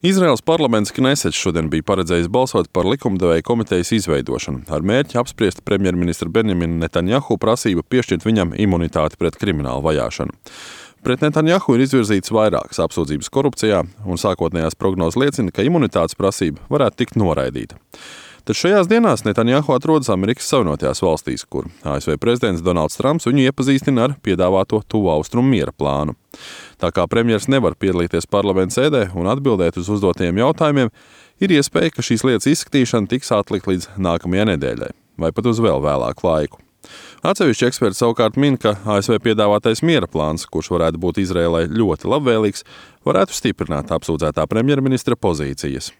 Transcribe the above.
Izraēlas parlaments Knesets šodien bija paredzējis balsot par likumdevēja komitejas izveidošanu, ar mērķi apspriest premjerministra Benjamina Netanjahu prasību piešķirt viņam imunitāti pret kriminālu vajāšanu. Pret Netanjahu ir izvirzīts vairākas apsūdzības korupcijā, un sākotnējās prognozes liecina, ka imunitātes prasība varētu tikt noraidīta. Taču šajās dienās Netanjahu atrodas Amerikas Savienotajās valstīs, kur ASV prezidents Donalds Trumps viņu iepazīstina ar piedāvāto Tuvu Austrumu miera plānu. Tā kā premjers nevar piedalīties parlamenta sēdē un atbildēt uz uzdotajiem jautājumiem, ir iespēja, ka šīs lietas izskatīšana tiks atlikt līdz nākamajai nedēļai, vai pat uz vēl vēlāku laiku. Atsevišķi eksperti savukārt min, ka ASV piedāvātais miera plāns, kurš varētu būt Izraēlai ļoti labvēlīgs, varētu stiprināt apsūdzētā premjerministra pozīcijas.